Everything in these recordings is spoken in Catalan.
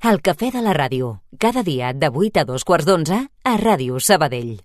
El cafè de la ràdio, cada dia de 8 a 2:15 a Ràdio Sabadell.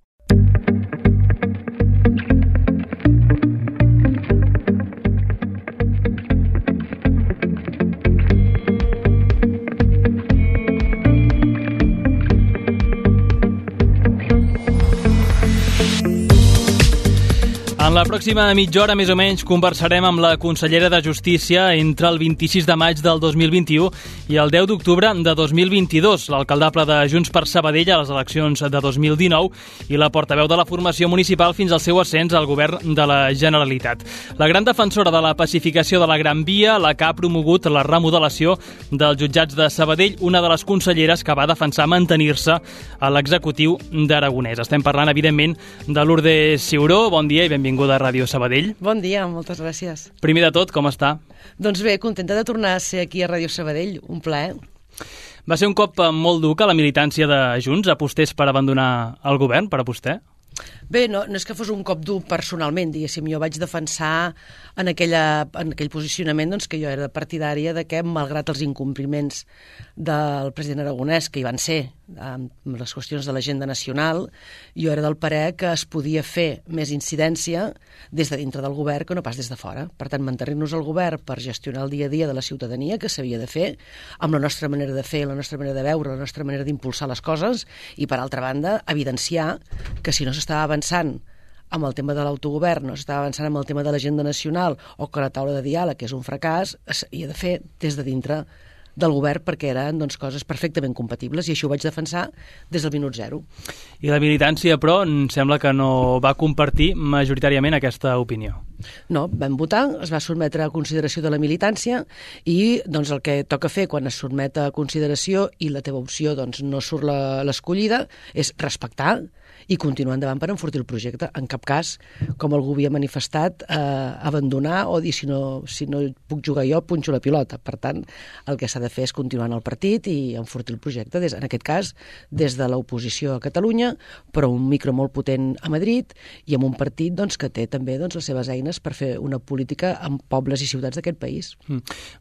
En la pròxima mitja hora, més o menys, conversarem amb la consellera de Justícia entre el 26 de maig del 2021 i el 10 d'octubre de 2022, l'alcaldable de Junts per Sabadell a les eleccions de 2019 i la portaveu de la formació municipal fins al seu ascens al govern de la Generalitat. La gran defensora de la pacificació de la Gran Via, la que ha promogut la remodelació dels jutjats de Sabadell, una de les conselleres que va defensar mantenir-se a l'executiu d'Aragonès. Estem parlant, evidentment, de Lourdes Ciuró. Bon dia i benvinguda a Ràdio Sabadell. Bon dia, moltes gràcies. Primer de tot, com està? Doncs bé, contenta de tornar a ser aquí a Ràdio Sabadell, un plaer. Va ser un cop molt dur que la militància de Junts apostés per abandonar el govern, per a vostè? Bé, no és que fos un cop dur personalment, diguéssim. Jo vaig defensar en aquell posicionament doncs, que jo era partidària de que, malgrat els incompliments del president Aragonès, que hi van ser amb les qüestions de l'agenda nacional, jo era del parer que es podia fer més incidència des de dintre del govern que no pas des de fora. Per tant, mantenir-nos al govern per gestionar el dia a dia de la ciutadania, que s'havia de fer, amb la nostra manera de fer, la nostra manera de veure, la nostra manera d'impulsar les coses, i, per altra banda, evidenciar que si no s'estava avançant amb el tema de l'autogovern, no s'estava avançant amb el tema de l'agenda nacional, o que la taula de diàleg és un fracàs, s'havia de fer des de dintre del govern, perquè eren coses perfectament compatibles, i això ho vaig defensar des del minut zero. I la militància, però, em sembla que no va compartir majoritàriament aquesta opinió. No, vam votar, es va sotmetre a consideració de la militància, i el que toca fer quan es sotmet a consideració i la teva opció no surt l'escollida és respectar i continuar endavant per enfortir el projecte. En cap cas, com algú havia manifestat, abandonar o dir si no puc jugar jo, punxo la pilota. Per tant, el que s'ha de fer és continuar en el partit i enfortir el projecte, en aquest cas, des de l'oposició a Catalunya, però un micro molt potent a Madrid i amb un partit que té també les seves eines per fer una política en pobles i ciutats d'aquest país.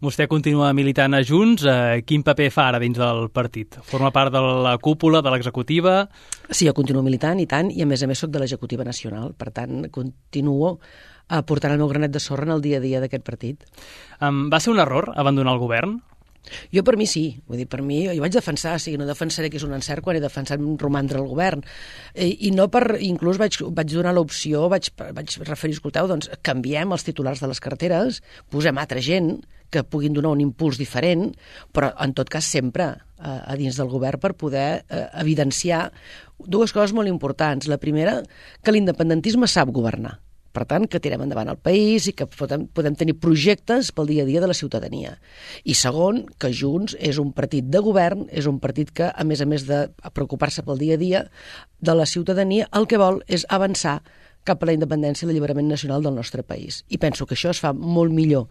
Vostè continua militant a Junts. Quin paper fa ara dins del partit? Forma part de la cúpula, de l'executiva? Sí, jo continuo militant, i tant, i a més soc de l'executiva nacional. Per tant, continuo portant el meu granet de sorra en el dia a dia d'aquest partit. Va ser un error abandonar el govern? Jo, per mi, sí. Vull dir, per mi, jo vaig defensar, no defensaré que és un encert quan he defensat romandre al govern. I no inclús vaig donar l'opció, vaig referir, escolteu, canviem els titulars de les carteres, posem altra gent que puguin donar un impuls diferent, però en tot cas sempre a dins del govern per poder evidenciar dues coses molt importants. La primera, que l'independentisme sap governar. Per tant, que tirem endavant el país i que podem tenir projectes pel dia a dia de la ciutadania. I segon, que Junts és un partit de govern, és un partit que, a més de preocupar-se pel dia a dia de la ciutadania, el que vol és avançar cap a la independència i l'alliberament nacional del nostre país. I penso que això es fa molt millor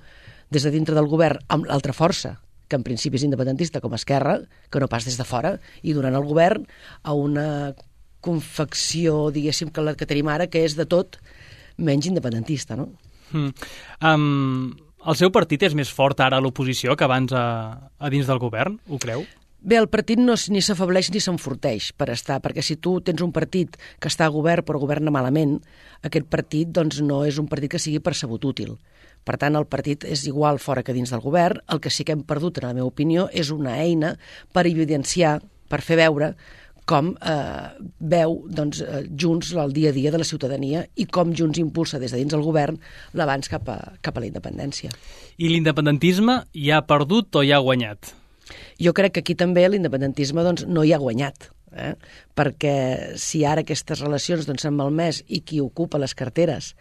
des de dintre del govern amb l'altra força, que en principi és independentista com Esquerra, que no pas des de fora, i donant el govern a una confecció, diguéssim, que la que tenim ara, que és de tot menys independentista, no? El seu partit és més fort ara a l'oposició que abans a dins del govern, ho creu? Bé, el partit ni s'afebleix ni s'enforteix per estar, perquè si tu tens un partit que està a govern però governa malament, aquest partit no és un partit que sigui percebut útil. Per tant, el partit és igual fora que dins del govern. El que sí que hem perdut, en la meva opinió, és una eina per evidenciar, per fer veure com veu Junts el dia a dia de la ciutadania i com Junts impulsa des de dins del govern l'avanç cap a la independència. I l'independentisme hi ha perdut o hi ha guanyat? Jo crec que aquí també l'independentisme no hi ha guanyat, perquè si ara aquestes relacions s'han malmès i qui ocupa les carteres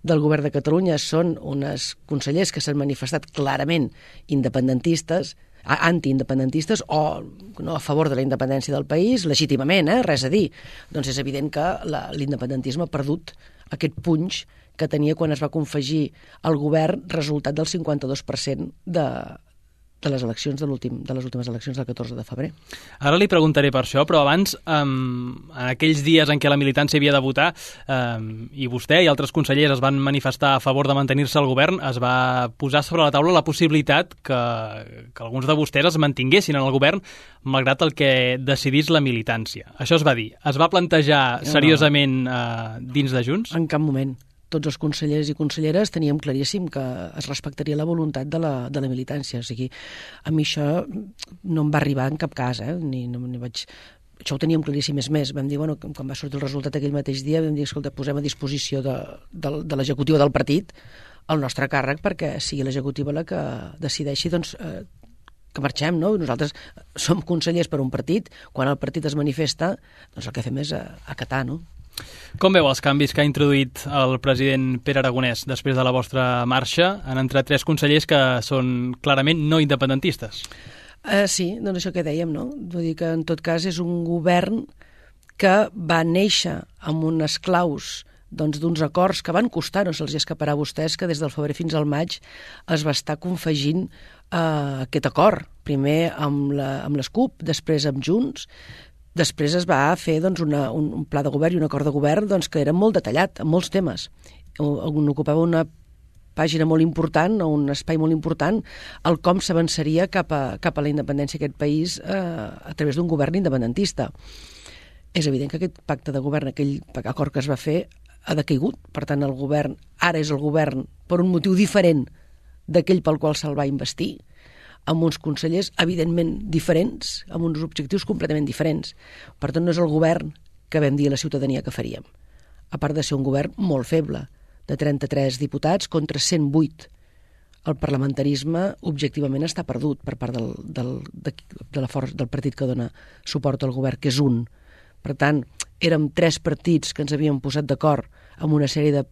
del govern de Catalunya són uns consellers que s'han manifestat clarament independentistes, antiindependentistes o no, a favor de la independència del país, legítimament, res a dir. Doncs és evident que l'independentisme ha perdut aquest punx que tenia quan es va confegir al govern resultat del 52% de de les eleccions de les últimes eleccions del 14 de febrer. Ara li preguntaré per això, però abans, en aquells dies en què la militància havia de votar, i vostè i altres consellers es van manifestar a favor de mantenir-se al govern, es va posar sobre la taula la possibilitat que alguns de vostès es mantinguessin en el govern, malgrat el que decidís la militància. Això es va dir. Es va plantejar seriosament dins de Junts? En cap moment. Tots els consellers i conselleres teníem claríssim que es respectaria la voluntat de la militància. O sigui, a mi això no em va arribar en cap cas, Això ho teníem claríssim. És més, vam dir, quan va sortir el resultat aquell mateix dia, vam dir, escolta, posem a disposició de l'executiva del partit el nostre càrrec perquè sigui l'executiva la que decideixi, que marxem, no? Nosaltres som consellers per un partit, quan el partit es manifesta, el que fem és acatar, no? Com veu els canvis que ha introduït el president Pere Aragonès després de la vostra marxa? Han entrat 3 consellers que són clarament no independentistes. Sí, doncs això que dèiem, no? Vull dir que en tot cas és un govern que va néixer amb unes claus d'uns acords que van costar, no se'ls escaparà a vostès, que des del febrer fins al maig es va estar confegint aquest acord. Primer amb les CUP, després amb Junts. Després es va fer un pla de govern i un acord de govern que era molt detallat, en molts temes. On ocupava una pàgina molt important, o un espai molt important, el com s'avançaria cap a la independència d'aquest país a través d'un govern independentista. És evident que aquest pacte de govern, aquell acord que es va fer, ha decaigut. Per tant, el govern ara és el govern per un motiu diferent d'aquell pel qual se'l va investir, amb uns consellers evidentment diferents, amb uns objectius completament diferents. Per tant, no és el govern que vam dir a la ciutadania que faríem. A part de ser un govern molt feble, de 33 diputats contra 108. El parlamentarisme objectivament està perdut per part del partit que dona suport al govern, que és un. Per tant, érem 3 partits que ens havíem posat d'acord amb una sèrie de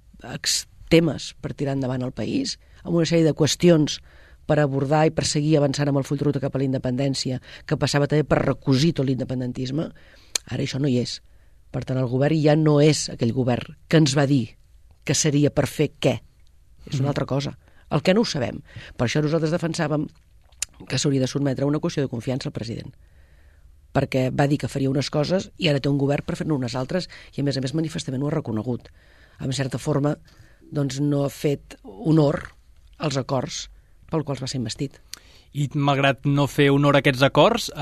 temes per tirar endavant el país, amb una sèrie de qüestions per abordar i per seguir avançant amb el full de ruta cap a la independència, que passava també per recosir tot l'independentisme. Ara això no hi és. Per tant, el govern ja no és aquell govern que ens va dir que seria per fer què. És una altra cosa. El que no ho sabem. Per això nosaltres defensàvem que s'hauria de sotmetre a una qüestió de confiança al president. Perquè va dir que faria unes coses i ara té un govern per fer-ne unes altres i, a més manifestament ho ha reconegut. En certa forma, no ha fet honor als acords pel qual va ser investit. I malgrat no fer honor a aquests acords,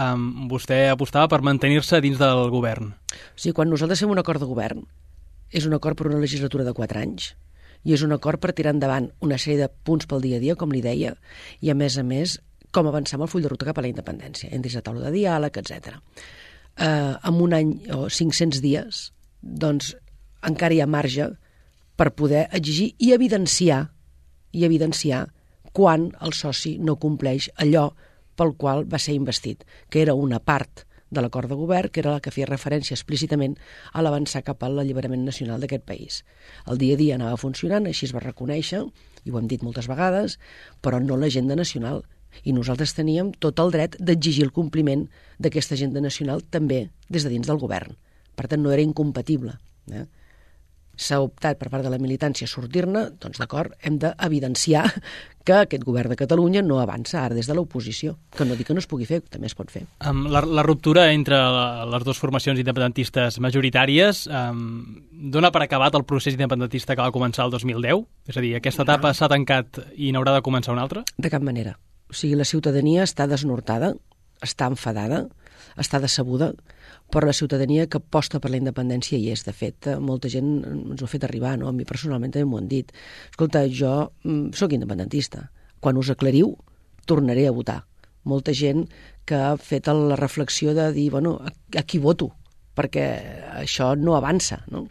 vostè apostava per mantenir-se dins del govern. O sigui, quan nosaltres fem un acord de govern, és un acord per una legislatura de 4 anys i és un acord per tirar endavant una sèrie de punts pel dia a dia, com li deia, i a més, com avançar amb el full de ruta cap a la independència, entris a taula de diàleg, etc. En un any o 500 dies, encara hi ha marge per poder exigir i evidenciar quan el soci no compleix allò pel qual va ser investit, que era una part de l'acord de govern, que era la que feia referència explícitament a l'avançar cap a l'alliberament nacional d'aquest país. El dia a dia anava funcionant, així es va reconèixer, i ho hem dit moltes vegades, però no l'agenda nacional. I nosaltres teníem tot el dret d'exigir el compliment d'aquesta agenda nacional també des de dins del govern. Per tant, no era incompatible. S'ha optat per part de la militància sortir-ne, d'acord, hem d'evidenciar que aquest govern de Catalunya no avança ara des de l'oposició, que no dic que no es pugui fer, també es pot fer. La ruptura entre les dues formacions independentistes majoritàries dona per acabat el procés independentista que va començar el 2010? És a dir, aquesta etapa s'ha tancat i n'haurà de començar una altra? De cap manera. O sigui, la ciutadania està desnortada, està enfadada, està decebuda, però la ciutadania que aposta per la independència hi és. De fet, molta gent ens ho ha fet arribar, no? A mi personalment també m'ho han dit. Escolta, jo sóc independentista. Quan us aclariu, tornaré a votar. Molta gent que ha fet la reflexió de dir, a qui voto? Perquè això no avança, no?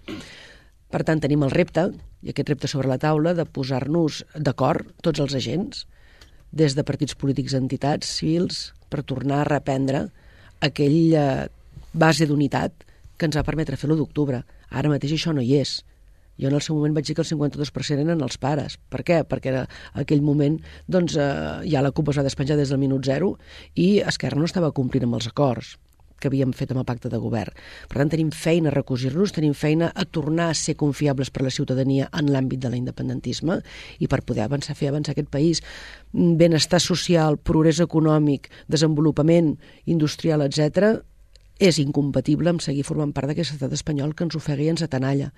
Per tant, tenim el repte, i aquest repte sobre la taula, de posar-nos d'acord, tots els agents, des de partits polítics, entitats civils, per tornar a reprendre aquella base d'unitat que ens va permetre fer l'1 d'octubre. Ara mateix això no hi és. Jo en el seu moment vaig dir que el 52% eren els pares. Per què? Perquè en aquell moment ja la CUP es va despenjar des del minut 0 i Esquerra no estava complint amb els acords. que havíem fet amb el pacte de govern. Per tant, tenim feina a recosir-nos, tenim feina a tornar a ser confiables per a la ciutadania en l'àmbit de l'independentisme i per poder fer avançar aquest país. Benestar social, progrés econòmic, desenvolupament industrial, etc., és incompatible amb seguir formant part d'aquest estat espanyol que ens ofega i ens atenalla.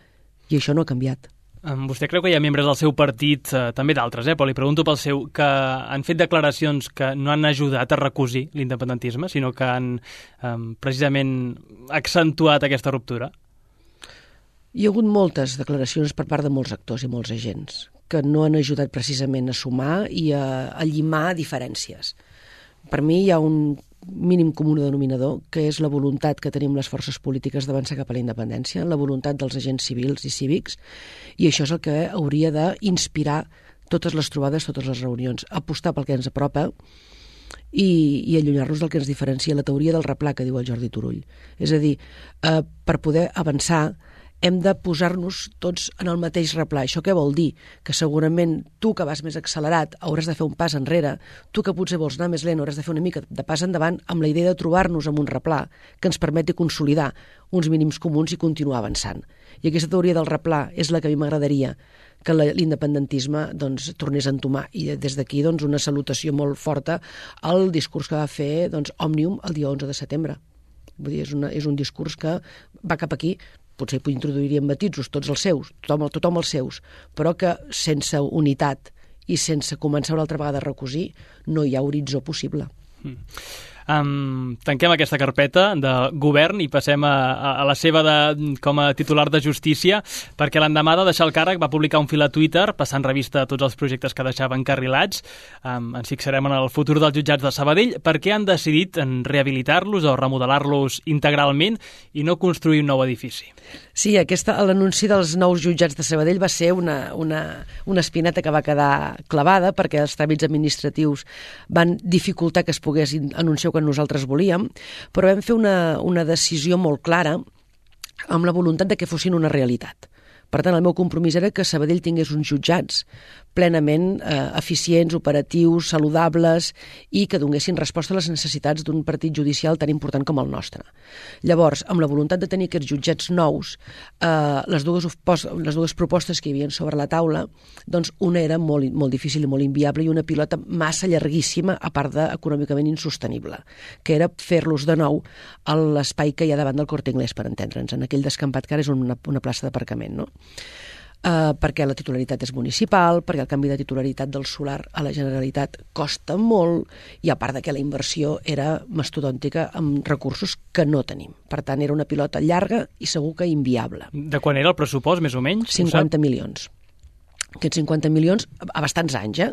I això no ha canviat. Vostè creu que hi ha membres del seu partit, també d'altres, però li pregunto pel seu, que han fet declaracions que no han ajudat a recosir l'independentisme, sinó que han precisament accentuat aquesta ruptura? Hi ha hagut moltes declaracions per part de molts actors i molts agents que no han ajudat precisament a sumar i a llimar diferències. Per mi hi ha un mínim comú denominador, que és la voluntat que tenim les forces polítiques d'avançar cap a la independència, la voluntat dels agents civils i cívics, i això és el que hauria d'inspirar totes les trobades, totes les reunions, apostar pel que ens apropa i allunyar-nos del que ens diferencia, la teoria del replà que diu el Jordi Turull. És a dir, per poder avançar hem de posar-nos tots en el mateix replà. Això què vol dir? Que segurament tu que vas més accelerat hauràs de fer un pas enrere, tu que potser vols anar més lent hauràs de fer una mica de pas endavant amb la idea de trobar-nos amb un replà que ens permeti consolidar uns mínims comuns i continuar avançant. I aquesta teoria del replà és la que a mi m'agradaria que l'independentisme tornés a entomar. I des d'aquí una salutació molt forta al discurs que va fer Òmnium el dia 11 de setembre. Vull dir, és un discurs que va cap aquí. Potser hi introduiríem matisos, tots els seus, tothom els seus, però que sense unitat i sense començar una altra vegada a recosir no hi ha horitzó possible. Tanquem aquesta carpeta de govern i passem a la seva com a titular de Justícia, perquè l'endemà de deixar el càrrec va publicar un fil a Twitter passant revista a tots els projectes que deixava encarrilats. Ens fixarem en el futur dels jutjats de Sabadell, perquè han decidit en rehabilitar-los o remodelar-los integralment i no construir un nou edifici. Sí, l'anunci dels nous jutjats de Sabadell va ser una espineta que va quedar clavada perquè els tràmits administratius van dificultar que es pogués anunciar que nosaltres volíem, però vam fer una decisió molt clara amb la voluntat de que fossin una realitat. Per tant, el meu compromís era que Sabadell tingués uns jutjats plenament eficients, operatius, saludables i que donessin resposta a les necessitats d'un partit judicial tan important com el nostre. Llavors, amb la voluntat de tenir aquests jutjats nous, les dues propostes que hi havia sobre la taula, una era molt difícil i molt inviable i una pilota massa llarguíssima, a part d'econòmicament insostenible, que era fer-los de nou a l'espai que hi ha davant del Corte Inglés, per entendre'ns, en aquell descampat que ara és una plaça d'aparcament, no? Perquè la titularitat és municipal, perquè el canvi de titularitat del solar a la Generalitat costa molt i a part de que la inversió era mastodòntica amb recursos que no tenim. Per tant, era una pilota llarga i segur que inviable. De quan era el pressupost, més o menys? 50 milions. Aquests 50 milions, a bastants anys,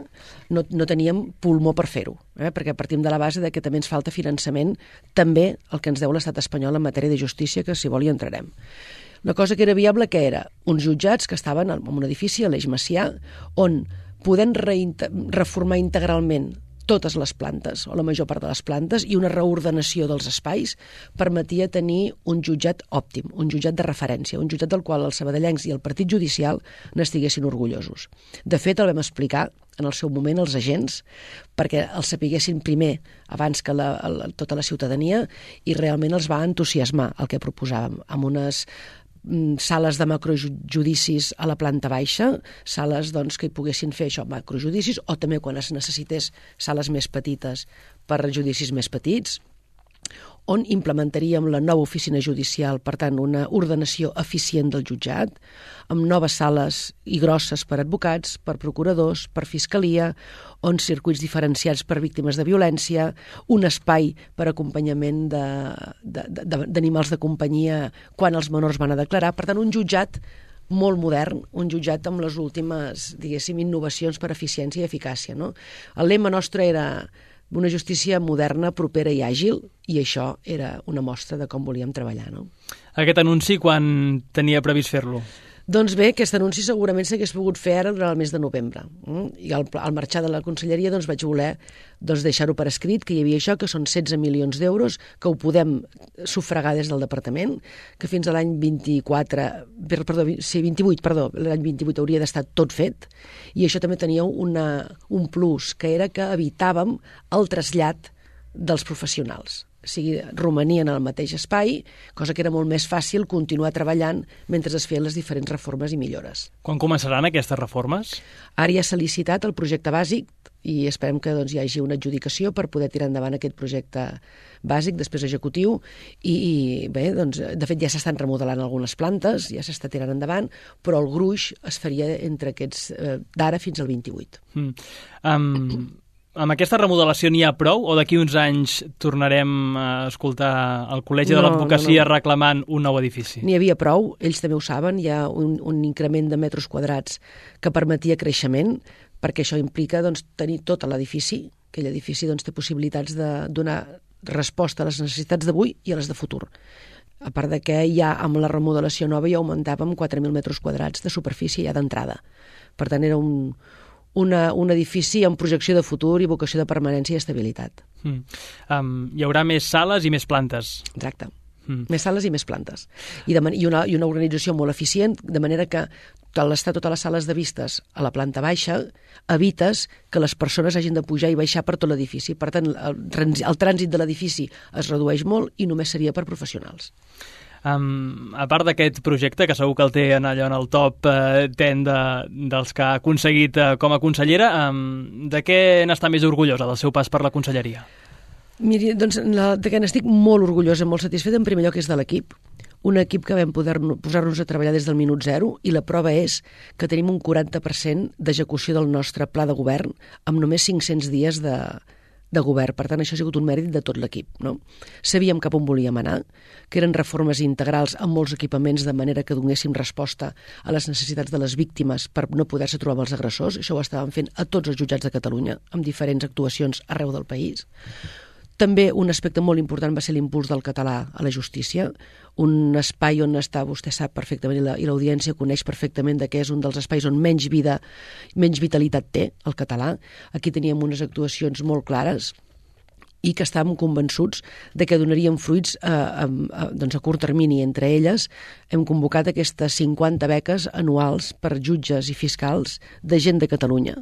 no teníem pulmó per fer-ho, perquè partim de la base de que també ens falta finançament, també el que ens deu l'estat espanyol en matèria de justícia, que si vol hi entrarem. Una cosa que era viable, que era uns jutjats que estaven en un edifici a l'Eix Macià, on podent reformar integralment totes les plantes, o la major part de les plantes, i una reordenació dels espais permetia tenir un jutjat òptim, un jutjat de referència, un jutjat del qual els sabadellencs i el partit judicial n'estiguessin orgullosos. De fet, el vam explicar en el seu moment als agents perquè els sapiguessin primer abans que tota la ciutadania i realment els va entusiasmar el que proposàvem, amb unes sales de macrojudicis a la planta baixa, sales que hi poguessin fer això, macrojudicis, o també quan es necessités sales més petites per judicis més petits, on implementaríem la nova oficina judicial, per tant, una ordenació eficient del jutjat, amb noves sales i grosses per advocats, per procuradors, per fiscalia, on circuits diferenciats per víctimes de violència, un espai per acompanyament d'animals de companyia quan els menors van a declarar. Per tant, un jutjat molt modern, un jutjat amb les últimes, diguéssim, innovacions per eficiència i eficàcia, no? El lema nostre era una justícia moderna, propera i àgil, i això era una mostra de com volíem treballar, no? Aquest anunci, quan tenia previst fer-lo? Doncs bé, aquest anunci segurament s'hagués pogut fer ara durant el mes de novembre. I al marxar de la conselleria vaig voler deixar-ho per escrit, que hi havia això, que són 16 milions d'euros, que ho podem sufragar des del departament, que fins a l'any 28, l'any 28 hauria d'estar tot fet, i això també tenia un plus, que era que evitàvem el trasllat dels professionals. romanien al mateix espai, cosa que era molt més fàcil continuar treballant mentre es feien les diferents reformes i millores. Quan començaran aquestes reformes? Ara ja s'ha licitat el projecte bàsic i esperem que hi hagi una adjudicació per poder tirar endavant aquest projecte bàsic, després executiu, i bé, doncs, de fet ja s'estan remodelant algunes plantes, ja s'està tirant endavant, però el gruix es faria entre aquests d'ara fins al 28. Amb aquesta remodelació n'hi ha prou o d'aquí uns anys tornarem a escoltar el Col·legi de l'Advocacia reclamant un nou edifici? N'hi havia prou, ells també ho saben, hi ha un increment de metres quadrats que permetia creixement, perquè això implica tenir tot l'edifici, aquell edifici té possibilitats de donar resposta a les necessitats d'avui i a les de futur. A part de que ja amb la remodelació nova ja augmentàvem 4.000 metres quadrats de superfície ja d'entrada. Per tant, era un edifici amb projecció de futur i vocació de permanència i estabilitat. Hi haurà més sales i més plantes. Exacte. Més sales i més plantes. I una organització molt eficient, de manera que al estar totes les sales de vistes a la planta baixa, evites que les persones hagin de pujar i baixar per tot l'edifici. Per tant, el trànsit de l'edifici es redueix molt i només seria per professionals. A part d'aquest projecte, que segur que el té allò en el top 10 dels que ha aconseguit com a consellera, de què n'està més orgullosa del seu pas per la conselleria? Miri, doncs de què n'estic molt orgullosa, molt satisfeta, en primer lloc és de l'equip. Un equip que vam poder posar-nos a treballar des del minut zero, i la prova és que tenim un 40% d'execució del nostre pla de govern amb només 500 dies de govern. Per tant, això ha sigut un mèrit de tot l'equip, no? Sabíem cap on volíem anar, que eren reformes integrals amb molts equipaments de manera que donéssim resposta a les necessitats de les víctimes per no poder-se trobar amb els agressors. Això ho estàvem fent a tots els jutjats de Catalunya, amb diferents actuacions arreu del país. També un aspecte molt important va ser l'impuls del català a la justícia, un espai on està, vostè sap perfectament, i l'audiència coneix perfectament que és un dels espais on menys vitalitat té el català. Aquí teníem unes actuacions molt clares i que estàvem convençuts de que donarien fruits a curt termini. Entre elles hem convocat aquestes 50 beques anuals per jutges i fiscals de gent de Catalunya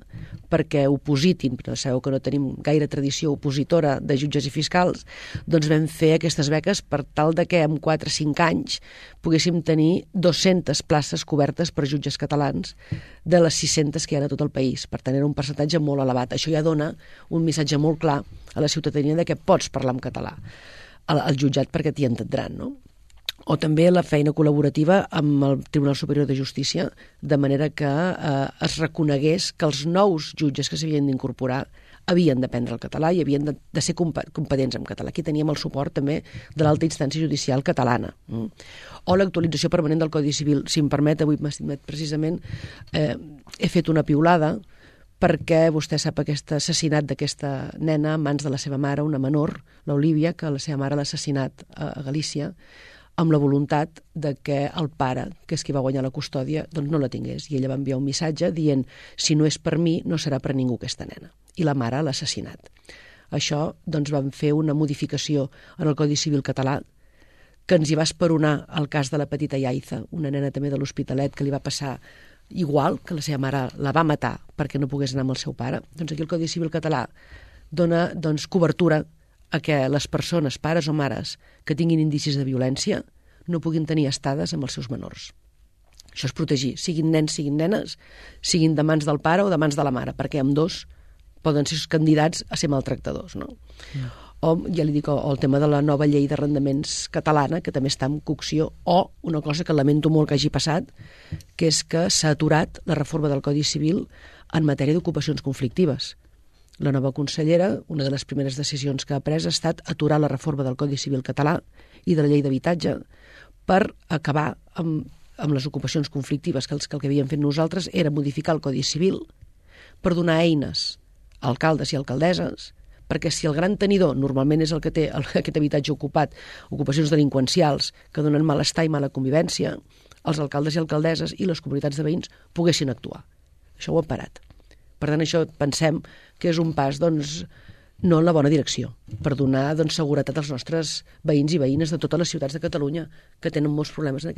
perquè opositin, però sabeu que no tenim gaire tradició opositora de jutges i fiscals, doncs vam fer aquestes beques per tal de que en 4 o 5 anys poguéssim tenir 200 places cobertes per jutges catalans de les 600 que hi ha a tot el país. Per tant, era un percentatge molt elevat. Això ja dona un missatge molt clar a la ciutadania de que pots parlar en català al jutjat perquè t'hi entendran, no? O també la feina col·laborativa amb el Tribunal Superior de Justícia, de manera que es reconegués que els nous jutges que s'havien d'incorporar havien d'aprendre el català i havien de ser competents en català. Aquí teníem el suport també de l'alta instància judicial catalana. O l'actualització permanent del Codi Civil. Si em permet, avui precisament he fet una piulada perquè vostè sap aquest assassinat d'aquesta nena a mans de la seva mare, una menor, l'Olívia, que la seva mare l'ha assassinat a Galícia, amb la voluntat de que el pare, que és qui va guanyar la custòdia, doncs no la tingués. I ella va enviar un missatge dient: si no és per mi, no serà per ningú aquesta nena. I la mare l'ha assassinat. Això, doncs, vam fer una modificació en el Codi Civil català que ens hi va esperonar el cas de la petita Yaiza, una nena també de l'Hospitalet que li va passar igual, que la seva mare la va matar perquè no pogués anar amb el seu pare. Doncs aquí el Codi Civil català dona cobertura a que les persones, pares o mares, que tinguin indicis de violència, no puguin tenir estades amb els seus menors. Això és protegir, siguin nens, siguin nenes, siguin de mans del pare o de mans de la mare, perquè ambdós poden ser candidats a ser maltractadors, no? O, ja li dic, el tema de la nova llei d'arrendaments catalana, que també està en cocció, o una cosa que lamento molt que hagi passat, que és que s'ha aturat la reforma del Codi Civil en matèria d'ocupacions conflictives. La nova consellera, una de les primeres decisions que ha pres ha estat aturar la reforma del Codi Civil català i de la llei d'habitatge per acabar amb les ocupacions conflictives, que el que havíem fet nosaltres era modificar el Codi Civil per donar eines a alcaldes i alcaldesses, perquè si el gran tenidor normalment és el que té aquest habitatge ocupat, ocupacions delinqüencials que donen malestar i mala convivència, els alcaldes i alcaldesses i les comunitats de veïns poguessin actuar. Això ho han parat. Per tant, això pensem que és un pas, no en la bona direcció, per donar seguretat als nostres veïns i veïnes de totes les ciutats de Catalunya que tenen molts problemes en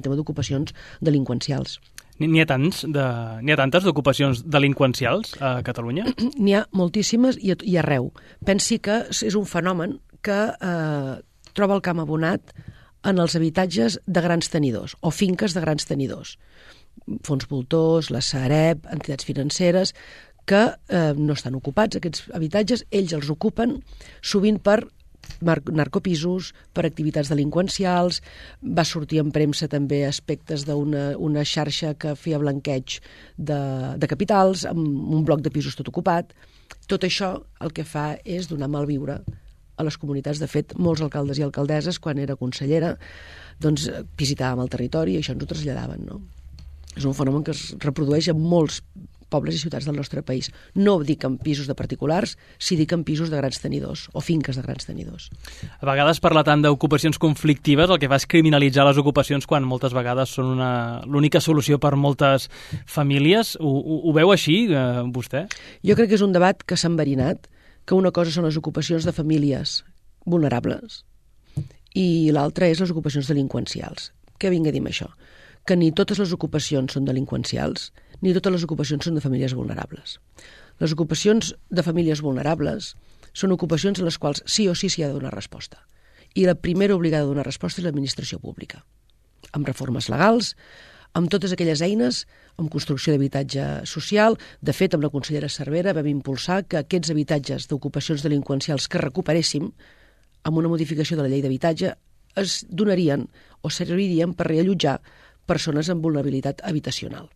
tema d'ocupacions delinqüencials. N'hi ha tantes d'ocupacions delinqüencials a Catalunya? N'hi ha moltíssimes i arreu. Pensi que és un fenomen que troba el camp abonat en els habitatges de grans tenidors o finques de grans tenidors. Fons voltors, la Sareb, entitats financeres, que no estan ocupats, aquests habitatges, ells els ocupen sovint per narcopisos, per activitats delinqüencials. Va sortir en premsa també aspectes d'una xarxa que feia blanqueig de capitals, amb un bloc de pisos tot ocupat. Tot això el que fa és donar malviure a les comunitats. De fet, molts alcaldes i alcaldesses, quan era consellera, doncs visitàvem el territori i això ens ho traslladaven, no? És un fenomen que es reprodueix en molts pobles i ciutats del nostre país. No dic en pisos de particulars, sí dic en pisos de grans tenidors o finques de grans tenidors. A vegades parlar tant d'ocupacions conflictives el que fa és criminalitzar les ocupacions quan moltes vegades són l'única solució per moltes famílies. Ho veu així, vostè? Jo crec que és un debat que s'ha enverinat, que una cosa són les ocupacions de famílies vulnerables i l'altra és les ocupacions delinqüencials. Què vinc a dir amb això? Que ni totes les ocupacions són delinqüencials, ni totes les ocupacions són de famílies vulnerables. Les ocupacions de famílies vulnerables són ocupacions a les quals sí o sí s'hi ha de donar resposta. I la primera obligada a donar resposta és l'administració pública, amb reformes legals, amb totes aquelles eines, amb construcció d'habitatge social. De fet, amb la consellera Cervera vam impulsar que aquests habitatges d'ocupacions delinqüencials que recuperéssim, amb una modificació de la llei d'habitatge, es donarien o servirien per reallotjar persones amb vulnerabilitat habitacional.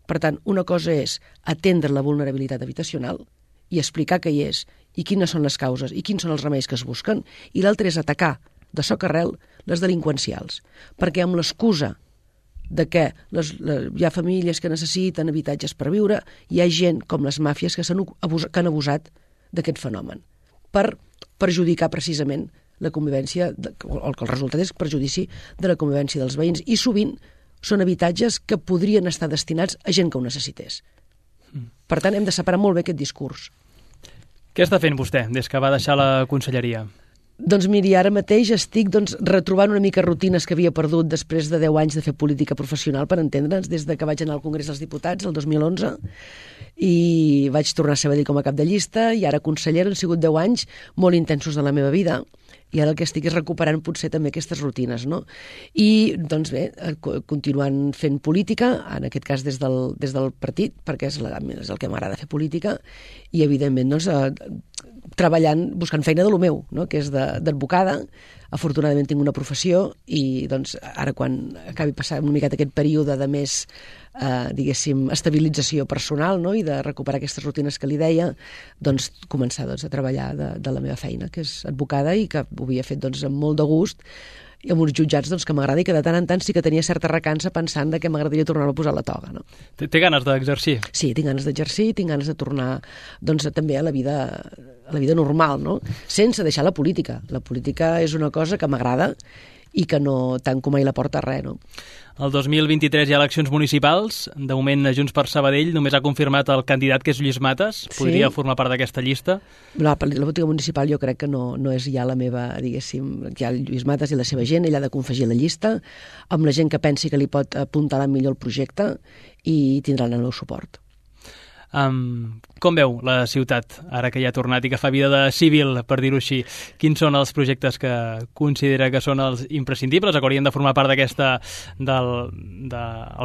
Per tant, una cosa és atendre la vulnerabilitat habitacional i explicar què hi és i quines són les causes i quins són els remeis que es busquen, i l'altra és atacar de soc arrel les delinqüencials, perquè amb l'excusa de que hi ha famílies que necessiten habitatges per viure, hi ha gent com les màfies que han abusat d'aquest fenomen per perjudicar precisament la convivència, o el resultat és perjudici de la convivència dels veïns, i sovint són habitatges que podrien estar destinats a gent que ho necessités. Per tant, hem de separar molt bé aquest discurs. Què està fent vostè des que va deixar la conselleria? Doncs miri, ara mateix estic retrobant una mica rutines que havia perdut després de 10 anys de fer política professional, per entendre'ns, des de que vaig anar al Congrés dels Diputats el 2011, i vaig tornar a Sabadell com a cap de llista, i ara consellera. Han sigut 10 anys molt intensos de la meva vida, i ara el que estic és recuperant potser també aquestes rutines, no? I, doncs bé, continuant fent política, en aquest cas des del partit, perquè és el que m'agrada fer política, i evidentment doncs, treballant, buscant feina de lo meu, no? Que és d'advocada. Afortunadament tinc una professió i doncs, ara quan acabi passant una miqueta aquest període de més diguéssim, estabilització personal, no? I de recuperar aquestes rutines que li deia, doncs començar a treballar de la meva feina, que és advocada, i que ho havia fet amb molt de gust, i amb uns jutjats que m'agrada, i que de tant en tant sí que tenia certa recança pensant que m'agradaria tornar a posar la toga. No? Té ganes d'exercir? Sí, tinc ganes d'exercir, tinc ganes de tornar també a la vida normal, no? Sense deixar la política. La política és una cosa que m'agrada i que no tanco mai la porta a res, no? El 2023 hi ha eleccions municipals. De moment, Junts per Sabadell només ha confirmat el candidat, que és Lluís Matas. Podria formar part d'aquesta llista? La política municipal jo crec que no és ja la meva, diguéssim, hi ha Lluís Matas i la seva gent, ell ha de confegir la llista amb la gent que pensi que li pot apuntalar millor el projecte, i tindran el meu suport. Com veu la ciutat, ara que ja ha tornat i que fa vida de civil, per dir-ho així? Quins són els projectes que considera que són els imprescindibles o que haurien de formar part del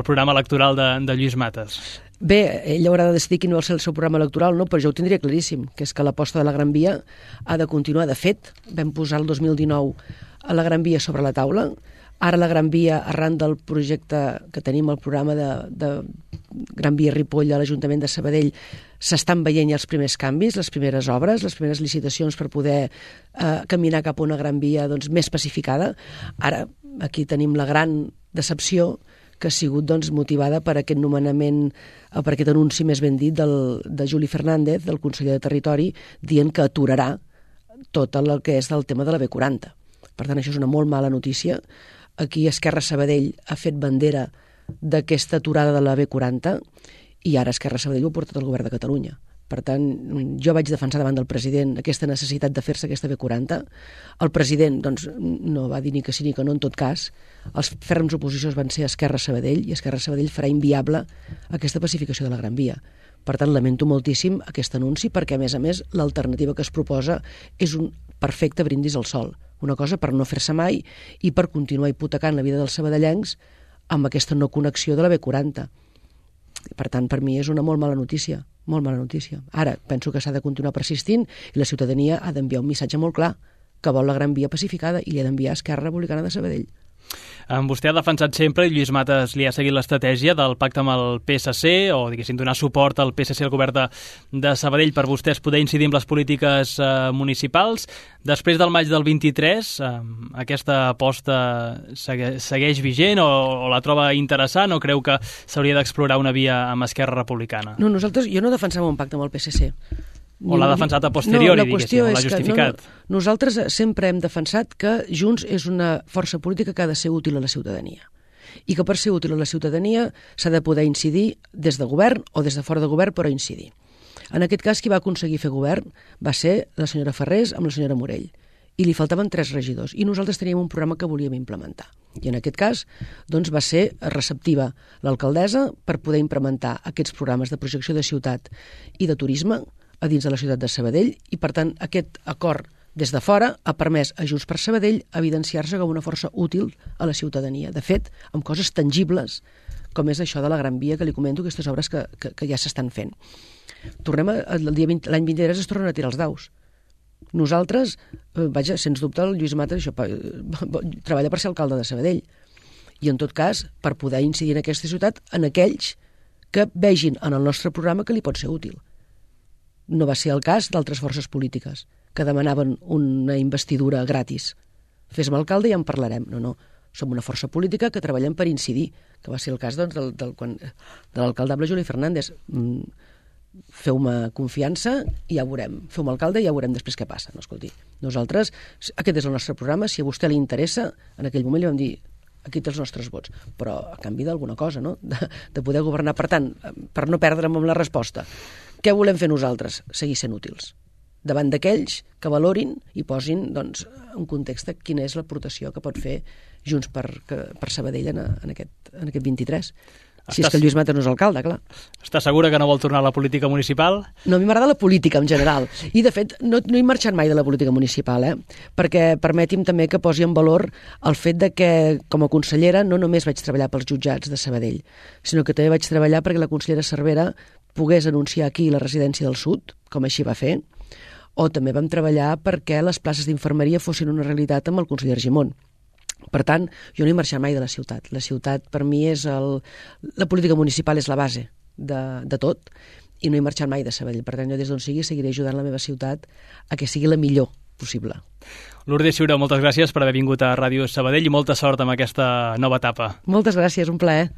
programa electoral de Lluís Matas? Bé, ell haurà de decidir quin va ser el seu programa electoral, no? Però jo ho tindria claríssim, que és que l'aposta de la Gran Via ha de continuar. De fet, vam posar el 2019 a la Gran Via sobre la taula. Ara la Gran Via, arran del projecte que tenim, el programa de Gran Via Ripoll a l'Ajuntament de Sabadell, s'estan veient ja els primers canvis, les primeres obres, les primeres licitacions per poder caminar cap a una Gran Via més pacificada. Ara, aquí tenim la gran decepció que ha sigut motivada per aquest nomenament, per aquest anunci més ben dit de Juli Fernández, del conseller de Territori, dient que aturarà tot el que és el tema de la B40. Per tant, això és una molt mala notícia. Aquí Esquerra Sabadell ha fet bandera d'aquesta aturada de la B40 i ara Esquerra Sabadell ho ha portat al govern de Catalunya. Per tant, jo vaig defensar davant del president aquesta necessitat de fer-se aquesta B40. El president no va dir ni que sí ni que no en tot cas. Els ferms oposicions van ser Esquerra Sabadell, i Esquerra Sabadell farà inviable aquesta pacificació de la Gran Via. Per tant, lamento moltíssim aquest anunci perquè, a més, l'alternativa que es proposa és un perfecte brindis al sol. Una cosa per no fer-se mai i per continuar hipotecant la vida dels sabadellencs amb aquesta no connexió de la B40. Per tant, per mi és una molt mala notícia, molt mala notícia. Ara, penso que s'ha de continuar persistint i la ciutadania ha d'enviar un missatge molt clar que vol la Gran Via pacificada i li ha d'enviar a Esquerra Republicana de Sabadell. Vostè ha defensat sempre, i Lluís Matas li ha seguit l'estratègia del pacte amb el PSC, o diguéssim donar suport al PSC al govern de Sabadell per vostès poder incidir en les polítiques municipals. Després del maig del 23, aquesta aposta segueix vigent o la troba interessant o creu que s'hauria d'explorar una via amb Esquerra Republicana? No, jo no defensava un pacte amb el PSC. O l'ha defensat a posteriori, diguéssim, o l'ha justificat? Nosaltres sempre hem defensat que Junts és una força política que ha de ser útil a la ciutadania i que per ser útil a la ciutadania s'ha de poder incidir des de govern o des de fora de govern, però incidir. En aquest cas, qui va aconseguir fer govern va ser la senyora Ferrés amb la senyora Morell i li faltaven 3 regidors i nosaltres teníem un programa que volíem implementar. I en aquest cas doncs, va ser receptiva l'alcaldessa per poder implementar aquests programes de projecció de ciutat i de turisme a dins de la ciutat de Sabadell i, per tant, aquest acord des de fora ha permès a Junts per Sabadell evidenciar-se com una força útil a la ciutadania. De fet, amb coses tangibles, com és això de la Gran Via que li comento, aquestes obres que ja s'estan fent. Tornem l'any 23 es tornen a tirar els daus. Nosaltres, sens dubte, el Lluís Matas treballa per ser alcalde de Sabadell i, en tot cas, per poder incidir en aquesta ciutat en aquells que vegin en el nostre programa que li pot ser útil. No va ser el cas d'altres forces polítiques que demanaven una investidura gratis. Fes-me alcalde i en parlarem. No. Som una força política que treballem per incidir, que va ser el cas de l'alcaldable Juli Fernández. Feu-me confiança i ja veurem. Feu-me alcalde i ja veurem després què passa. No, escolti, nosaltres, aquest és el nostre programa, si a vostè li interessa, en aquell moment li vam dir aquí té els nostres vots, però a canvi d'alguna cosa, no? De poder governar. Per tant, per no perdre'm amb la resposta, què volem fer nosaltres? Seguir sent útils davant d'aquells que valorin i posin doncs, en context quina és l'aportació que pot fer Junts per Sabadell en aquest 23. Si és que el Lluís Matas no és alcalde, clar. Està segura que no vol tornar a la política municipal? No, a mi m'agrada la política en general. I, de fet, no he marxat mai de la política municipal, perquè permeti'm també que posi en valor el fet de que, com a consellera, no només vaig treballar pels jutjats de Sabadell, sinó que també vaig treballar perquè la consellera Cervera pogués anunciar aquí la residència del Sud, com així va fer, o també vam treballar perquè les places d'infermeria fossin una realitat amb el conseller Argimon. Per tant, jo no he marxat mai de la ciutat. La ciutat, per mi, la política municipal és la base de tot i no he marxat mai de Sabadell. Per tant, jo des d'on sigui seguiré ajudant la meva ciutat a que sigui la millor possible. Lourdes Ciuró, moltes gràcies per haver vingut a Ràdio Sabadell i molta sort amb aquesta nova etapa. Moltes gràcies, un plaer.